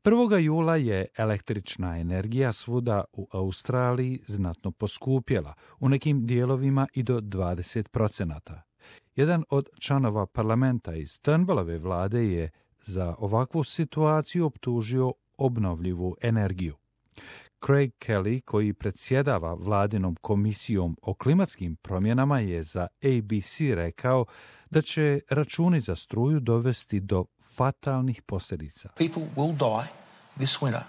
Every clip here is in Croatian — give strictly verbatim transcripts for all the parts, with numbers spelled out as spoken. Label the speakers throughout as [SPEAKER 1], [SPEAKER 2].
[SPEAKER 1] prvog jula je električna energija svuda u Australiji znatno poskupjela, u nekim dijelovima i do dvadeset procenata. Jedan od članova parlamenta iz Turnbullove vlade je za ovakvu situaciju optužio obnovljivu energiju. Craig Kelly, koji predsjedava vladinom komisijom o klimatskim promjenama, je za A B C rekao da će računi za struju dovesti do fatalnih posljedica.
[SPEAKER 2] People will die this winter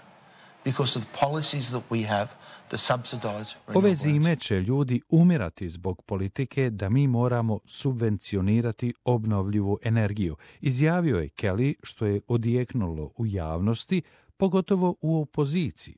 [SPEAKER 2] because of policies that we have to subsidize.
[SPEAKER 1] Ove zime će ljudi umirati zbog politike da mi moramo subvencionirati obnovljivu energiju, izjavio je Kelly, što je odjeknulo u javnosti, pogotovo u opoziciji.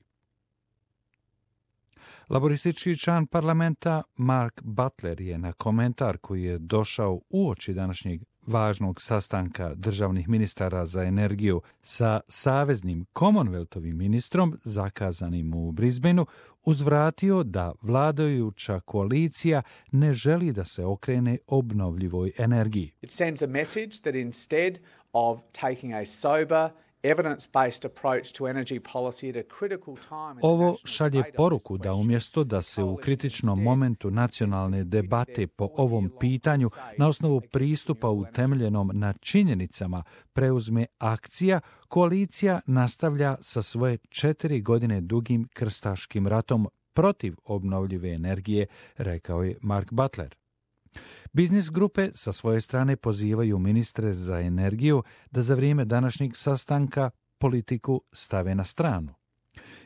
[SPEAKER 1] Laboristički član parlamenta Mark Butler je na komentar koji je došao uoči današnjeg važnog sastanka državnih ministara za energiju sa saveznim Commonwealthovim ministrom zakazanim u Brisbaneu uzvratio da vladajuća koalicija ne želi da se okrene obnovljivoj energiji.
[SPEAKER 3] It sends a message that instead of taking a sober evidence-based approach to energy policy at a critical time.
[SPEAKER 1] Ovo šalje poruku da umjesto da se u kritičnom momentu nacionalne debate po ovom pitanju na osnovu pristupa utemeljenom na činjenicama preuzme akcija, koalicija nastavlja sa svoje četiri godine dugim krstaškim ratom protiv obnovljive energije, rekao je Mark Butler. Biznis grupe sa svoje strane pozivaju ministre za energiju da za vrijeme današnjeg sastanka politiku stave na stranu.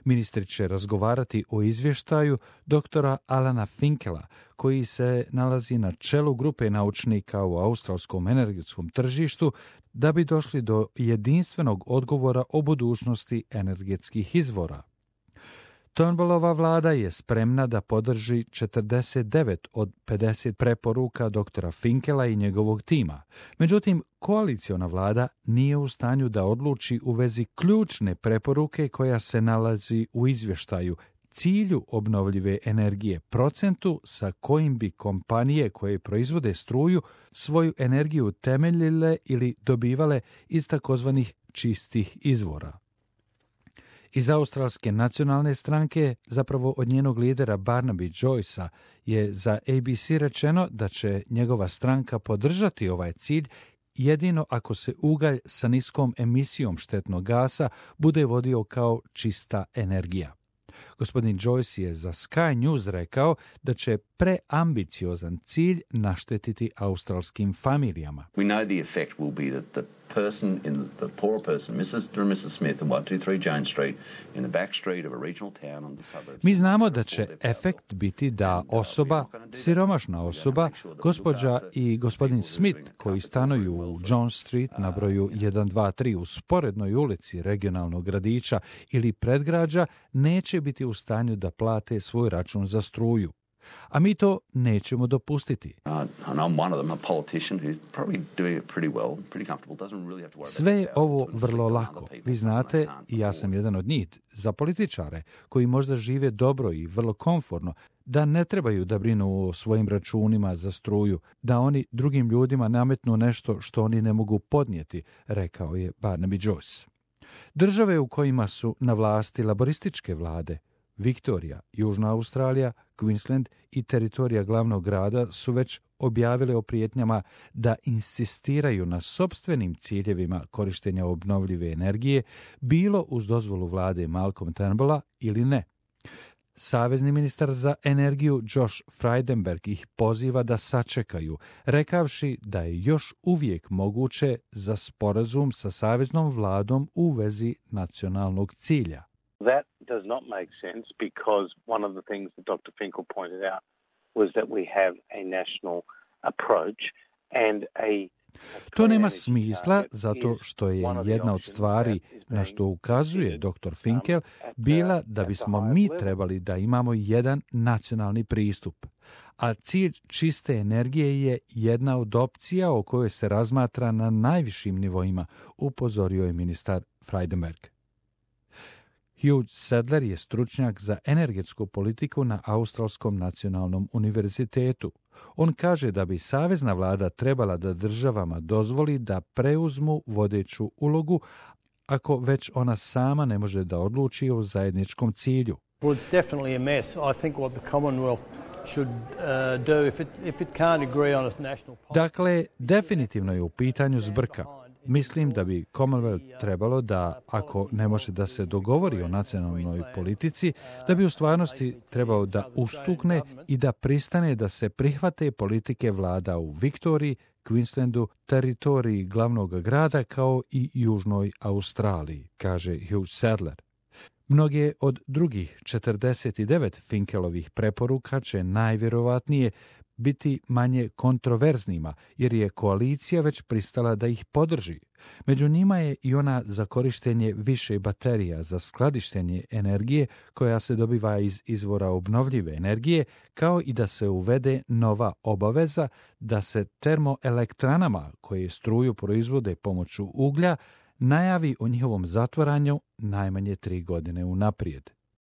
[SPEAKER 1] Ministri će razgovarati o izvještaju doktora Alana Finkela, koji se nalazi na čelu grupe naučnika u australskom energetskom tržištu, da bi došli do jedinstvenog odgovora o budućnosti energetskih izvora. Turnbullova vlada je spremna da podrži četrdeset devet od pedeset preporuka doktora Finkela i njegovog tima. Međutim, koaliciona vlada nije u stanju da odluči u vezi ključne preporuke koja se nalazi u izvještaju, cilju obnovljive energije, procentu sa kojim bi kompanije koje proizvode struju svoju energiju temeljile ili dobivale iz takozvanih čistih izvora. Iz australske nacionalne stranke, zapravo od njenog lidera Barnaby Joycea, je za A B C rečeno da će njegova stranka podržati ovaj cilj jedino ako se ugalj sa niskom emisijom štetnog gasa bude vodio kao čista energija. Gospodin Joyce je za Sky News rekao da će preambiciozan cilj naštetiti australskim familijama.
[SPEAKER 4] We know the effect will be that the person in the poorer person, missus or missus Smith, in one two three Jones Street, in the back street of a regional town on the suburbs.
[SPEAKER 1] Mi znamo da će efekt biti da osoba, siromašna osoba, gospođa i gospodin Smith, koji stanuju u Jones Street na broju jedan dva tri u sporednoj ulici regionalnog gradića ili predgrađa, neće biti u stanju da plate svoj račun za struju. A mi to nećemo dopustiti. Sve je ovo vrlo lako. Vi znate, i ja sam jedan od njih, za političare koji možda žive dobro i vrlo komforno, da ne trebaju da brinu o svojim računima za struju, da oni drugim ljudima nametnu nešto što oni ne mogu podnijeti, rekao je Barnaby Joyce. Države u kojima su na vlasti laborističke vlade, Viktorija, Južna Australija, Queensland i teritorija glavnog grada su već objavile o prijetnjama da insistiraju na sopstvenim ciljevima korištenja obnovljive energije, bilo uz dozvolu vlade Malcolm Turnbulla ili ne. Savezni ministar za energiju Josh Frydenberg ih poziva da sačekaju, rekavši da je još uvijek moguće za sporazum sa saveznom vladom u vezi nacionalnog cilja.
[SPEAKER 5] That does not make sense because one of the things that Doctor Finkel pointed out was that we have a national approach and a
[SPEAKER 1] To nema smisla zato što je jedna od stvari na što ukazuje doktor Finkel bila da bismo mi trebali da imamo jedan nacionalni pristup. A cilj čiste energije je jedna od opcija o kojoj se razmatra na najvišim nivoima, upozorio je ministar Frydenberg. Hugh Sadler je stručnjak za energetsku politiku na Australskom nacionalnom univerzitetu. On kaže da bi savezna vlada trebala da državama dozvoli da preuzmu vodeću ulogu, ako već ona sama ne može da odluči o zajedničkom cilju.
[SPEAKER 6] Well, it's definitely a mess. I think what the Commonwealth should uh, do if it, if it can't agree on its national policy.
[SPEAKER 1] Dakle, definitivno je u pitanju zbrka. Mislim da bi Commonwealth trebalo da, ako ne može da se dogovori o nacionalnoj politici, da bi u stvarnosti trebao da ustukne i da pristane da se prihvate politike vlada u Viktoriji, Queenslandu, teritoriji glavnog grada kao i Južnoj Australiji, kaže Hugh Sadler. Mnoge od drugih četrdeset devet Finkelovih preporuka će najvjerovatnije biti manje kontroverznima, jer je koalicija već pristala da ih podrži. Među njima je i ona za korištenje više baterija za skladištenje energije koja se dobiva iz izvora obnovljive energije, kao i da se uvede nova obaveza da se termoelektranama koje struju proizvode pomoću uglja najavi o njihovom zatvaranju najmanje tri godine unaprijed.